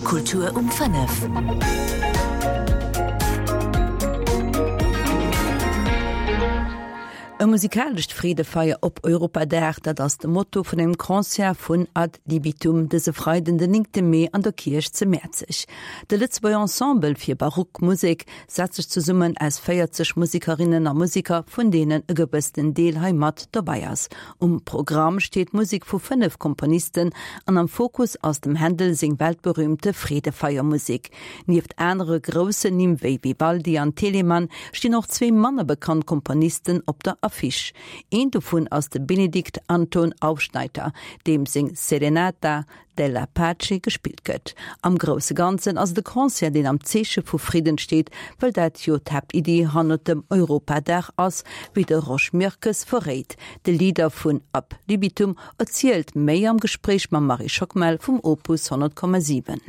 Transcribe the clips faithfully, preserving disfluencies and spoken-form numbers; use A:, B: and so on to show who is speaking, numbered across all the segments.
A: Kultur um fënnef.
B: E musikalescht Freedefeier op Europadag, dat ass de Motto vun engem Concert vun Ad Libitum dëse Freiden den néngte Mee an der Kierch zu Mäerzeg. De Lëtzebuerger Ensemble fir Barockmusek setzt sech zesummen aus véierzeg Musekerinnen a Museker, vun deenen e gewëssenen Deel hei mat dobäi ass. Um Programm steet Musek vu fënnef Komponisten an am Fokus ass dem Händel seng weltberüümte Freedefeiermusek. Nieft anere groussen Nimm wéi Vivaldi an Telemann stinn och zwee manner bekannt Komponisten op der Affiche. Een dovun ass de Benedikt Anton Aufschnaiter, deem seng Serenata della Pace gespillt gëtt. Am grousse Ganzen ass et e Concert, deen am Zeeche vu Fridden steet, well dat jo d'Haaptiddi hannert dem Europadag ass, wéi de Rosch Mirkes verréit. De Leader vun Ab Libitum erzielt méi am Gespréich mam Marie Schockmel vum Opus honnert Komma siwen.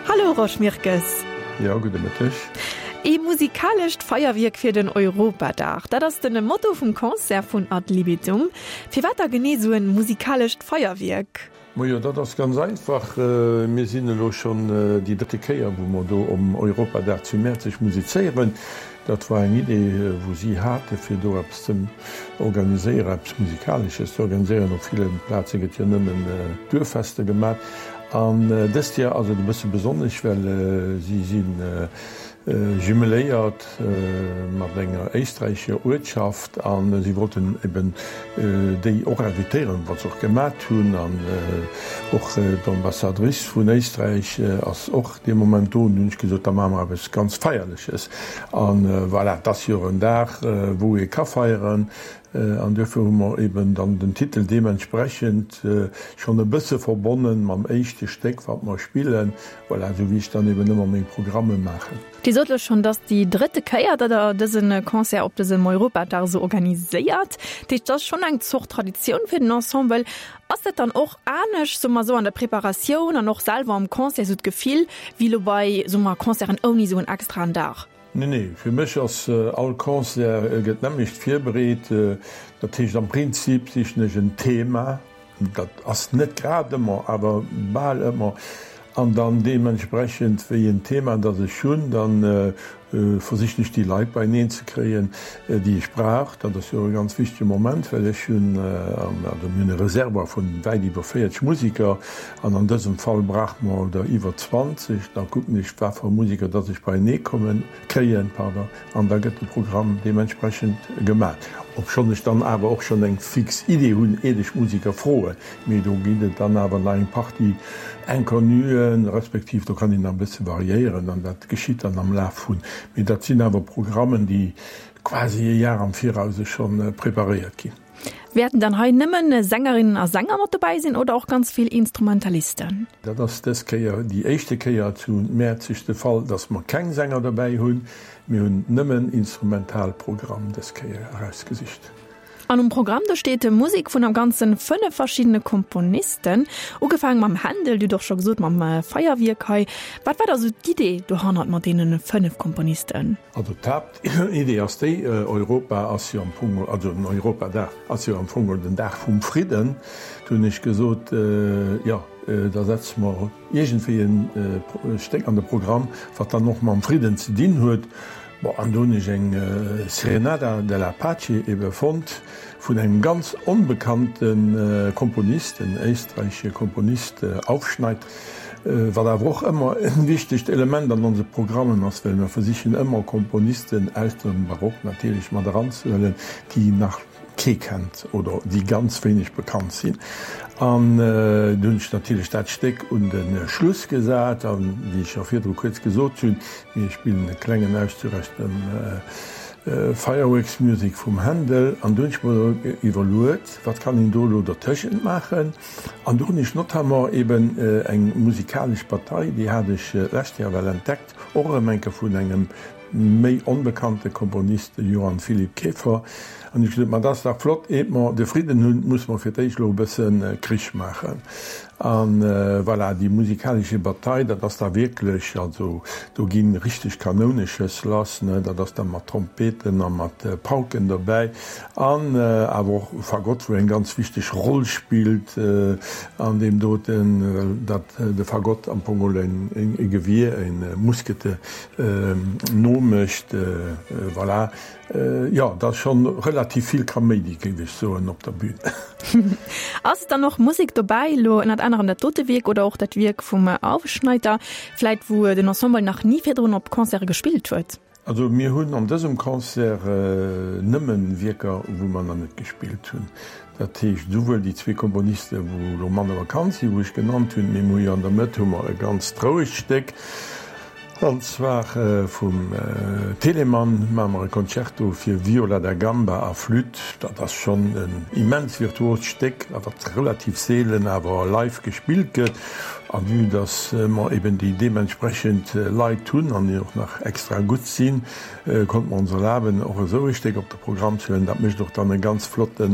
C: Hallo Rosch Mirkes.
D: Jo, gudde Mëtteg.
C: Ee musikalescht Feierwierk fir den Europadag, dat ass den Motto vum Concert vun Ad Libitum. Firwat da genee esou en musikalescht Feierwierk?
D: Majo, dat ass ganz einfach. Mir sinn elo schonn déi drëtte Kéier, wou mer do um Europadag zu Mäerzeg musizéieren. Dat war eng Idee, wou si hate fir do eppes ze organiséieren, eppes Musikalesches ze organiséieren. Op ville Plaze gëtt jo nëmmen Duerffester gemat. An dëst Joer ass et e bësse besonnesch, well si si jumeléiert mat enger éisträichescher Uertschaft a si wollten eben déi och invitéieren, wat se och gemat hunn. An och d'Ambassadrice vun Éisträich ass och dee Moment do. An dunn hunn ech gesot, da maache mer eppes ganz Feierleches. An voilà, et ass jo en Dag, wou ee ka feieren. An duerfir hu mer eben dann den Titel deementsprechend schonn e bësse verbonne mam éischte Stéck, wat mer spillen. Voilà, esou wéi ech dann eben ëmmer meng Programme maachen.
C: Dir sot elo schonn, dass déi drëtte Kéier, datt Der dëse Concert op dësem Europadag esou organiséiert. Dat heescht, dat ass schonn eng Zort Traditioun fir den Ensemble. Ass dat dann och anescht, soe mer esou, an der Preparatioun an och selwer am Concert, esou d'Gefill, wéi elo bei, soe mer, Concerten ouni esou en extraen Dag?
D: Nee, nee, fir mech ass all Concert gëtt d'nämmlecht virbereet. Dat heescht, am Prinzip sichen ech en Thema, dat ass net grad ëmmer, awer bal ëmmer, an dann deementsprechend wéi en Thema dat ech hunn, da versichen ech déi Leit beieneen ze kréien, déi ech brauch. Dat ass jo e ganz wichtege Moment, well ech hunn, also mir hunn e Reservoir vun wäit iwwer véierzeg Musiker an an dësem Fall brauche mer der iwwer zwanzeg. Da kucken ech, wat fir Musiker datt ech beienee kommen, kréien, pardon, an da gëtt de Programm deementsprechend gemat. Obschonn ech dann awer och schonn eng fix Idee hunn, iert ech Musiker froen, mee do ginn et dann awer nach eng Partie Inconnuen, respektiv do kann een nach e bësse variéieren an dat geschitt dann am Laf vun. Mee dat sinn awer Programmen, déi quasi e Jar am Virause scho preparéiert ginn.
C: Wäerten dann hei nëmmen Sängerinnen a Sänger mat dobäi sinn oder och ganz vill Instrumentalisten?
D: Dat ass dës Kéier déi éischte Kéier zu Mäerzeg de Fall, dass mer keng Sänger dobäi hunn. Mir hunn nëmmen Instrumentalprogramm dës Kéier erausgesicht.
C: An um Programm do steet Musek vun am Ganzen fënnef verschiddene Komponisten. Ugefaange mam Händel, Dir hutt och scho gesot mam Feierwierk hei. Wat war da sou d'Idee dohannert mat deene fënnef Komponisten?
D: Also d'Haaptidee ass déi, Europa ass jo am Fong, also den Europadag ass jo am Fong den Dag vum Fridden. Do hunn ech gesot, jo, da setze mer iergendwéi e Stéck an de Programm, wat dann och mam Fridden ze dinn huet. Bon, an do hunn ech eng Serenata della Pace ebe fonnt vun engem ganz onbekannte Komponist, en éisträichesche Komponist, Aufschneidt, wat awer och ëmmer e wichtegt Element an onse Programmen ass, well mer versichen ëmmer Komponisten aus dem Barock natierlech mat eranzehuelen, déi nach kee kennt oder déi ganz wéineg bekannt sinn. An du hunn ech natierlech dat Stéck un de Schluss gesat an, wéi ech scho virdru kuerz gesot hunn, mir spillen e klengen Auszuch aus dem Fireworks Music vum Händel. An du hunn ech mer iwwerluet, wat kann een do elo dertëschent maachen? An do hunn ech notamment eben eng musikalesch Bataille, déi hat ech d'lescht Joer well entdeckt, och erëm eng Kéier vun engem méi onbekannte Komponist, de Johann Philipp Kefer. An ech gesot, ma dat ass dach flott, eet mer de Fridden hunn, musse mer fir d'éischt elo e bësse Krich maachen. An voilà, déi musikalesche Bataille, dat ass da wierklech, also do gi richteg Kanouneschëss lass, ne, dat ass da mat Trompeten a mat Pauken dobäi an awer och Fagott, wou eng ganz wichteg Roll spillt an deem doten, well dat de Fagott am Fong geholl e Gewier, e Muskete nomécht, voilà. Jo, et ass schonn relativ vill Kaméidi, géif ech soen, op der Bühn.
C: Ass dann och Musek dobäi, elo ënnert anerem dat dote Wierk oder och dat Wierk vum Aufschneider, vläit wou den Ensemble nach ni virdrun op Concerte gespillt huet?
D: Also mir hunn an dësem Concert nëmmen Wierker, wou mer nach net gespillt hunn. Dat heescht esouwuel déi zwee Komponiste wou elo manner bekannt sinn, wou ech genannt hunn, mee mir hu jo an der Mëtt hu mer e ganzt rouegt Stéck, an zwar vum Telemann maache mer e Concerto fir Viola da Gamba a Flütt. Dat ass schonn en immens virtuost Stéck, wat relativ seelen awer live gespillt gëtt. A vue dass mer eben déi deementsprechend Leit hunn an déi och nach extra gutt sinn, konnte mer ons erlaben, och esou e Stéck op de Programm ze huelen. Dat mécht och dann e ganz flotte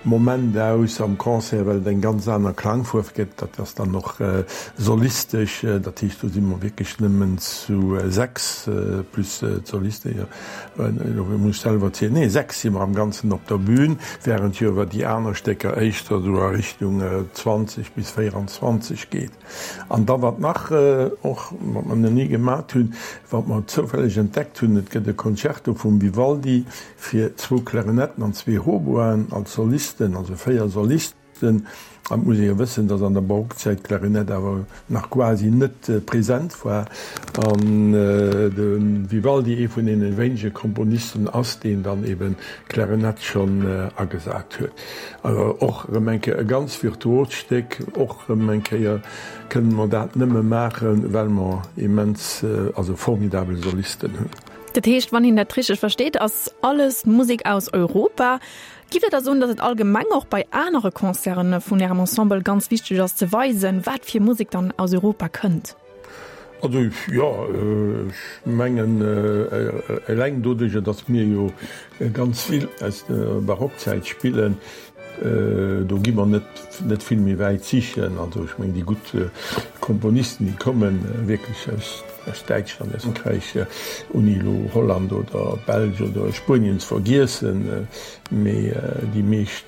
D: Moment aus am Concert, well et eng ganz aner Klangfuerf gëtt. Dat ass dann och solistesch, dat heescht, do si mer wierklech nëmmen zu sechs plus d'Soliste, jo, elo muss ech selwer zielen, nee, sechs si mer am Ganzen op der Bühn, während jo awer déi aner Stécker éischter esou a Richtung zwanzeg bis véieranzwanzeg geet. An da wat nach och, wat mer nach ni gemat hunn, wat mer zoufälleg entdeckt hunn, et gëtt e Concerto vum Vivaldi fir zwou Klarinetten an zwee Hautboisen als Solisten, also véier Solisten. An et muss ee jo wëssen, datt an der Barockzäit d'Klarinett awer nach quasi net present war an de Vivaldi ee vun deene wéinege Komponisten ass, deen dann eben d'Klarinett schonn agesat huet. Also och erëm eng Kéier e ganz virtuost Stéck. Och erëm eng Kéier kënne mer dat nëmme maachen, well mer immens, also formidabel Solisten hunn.
C: Dat heescht, wann een dat richteg versteet, ass alles Musek aus Europa. Giff Dir da soen, datt et allgemeng och bei anere Concerte vun Ärem Ensemble ganz wichteg ass ze weisen, wat fir Musek dann aus Europa kënnt?
D: Also jo, ech mengen eleng doduercher, datt mir jo ganz vill aus der Barockzäit spillen, do gi mer net net vill méi wäit sichen. Also ech mengen déi gutt Komponisten, déi komme wierklech aus aus Däitschland, aus Frankräich, ouni elo Holland oder Belsch oder Spuenien ze vergiessen, mee déi meescht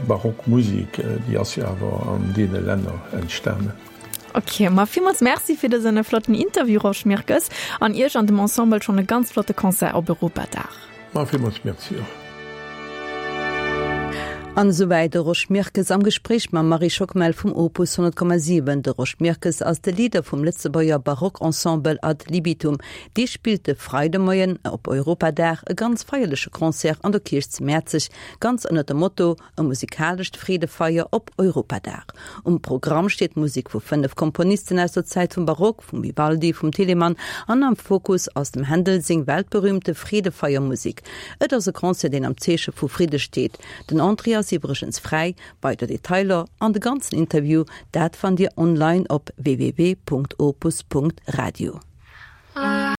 D: barock Musek, déi ass jo awer an deene Länner entstanen.
C: Ok, ma villmools Merci fir dësen flotten Interview, Rosch Mirkes, an Iech an dem Ensemble schonn e ganz flotte Concert op Europadag.
D: Ma villmools Merci och.
B: An esouwäit de Rosch Mirkes am Gespréich mam Marie Schockmel vum Opus honnert Komma siwen. De Rosch Mirkes ass de Leader vum Lëtzebuerger Barockensemble Ad Libitum. Dee spillt de Freidemoien op Europadag e ganz feierleche Concert an der Kierch zu Mäerzeg, ganz ënnert dem Motto E musikalescht Freedefeier op Europadag. Um Programm steet Musek vu fënnef Komponisten aus der Zäit vum Barock, vum Vivaldi, vum Telemann an am Fokus ass dem Händel seng weltberühmte Freedefeiermusek. Et ass e Concert, deen am Zeeche vu Fridde steet. Den Entrée ass iwwregens fräi. Weider Detailer an de ganzen Interview, dat fannt Dir online op www.opus.radio.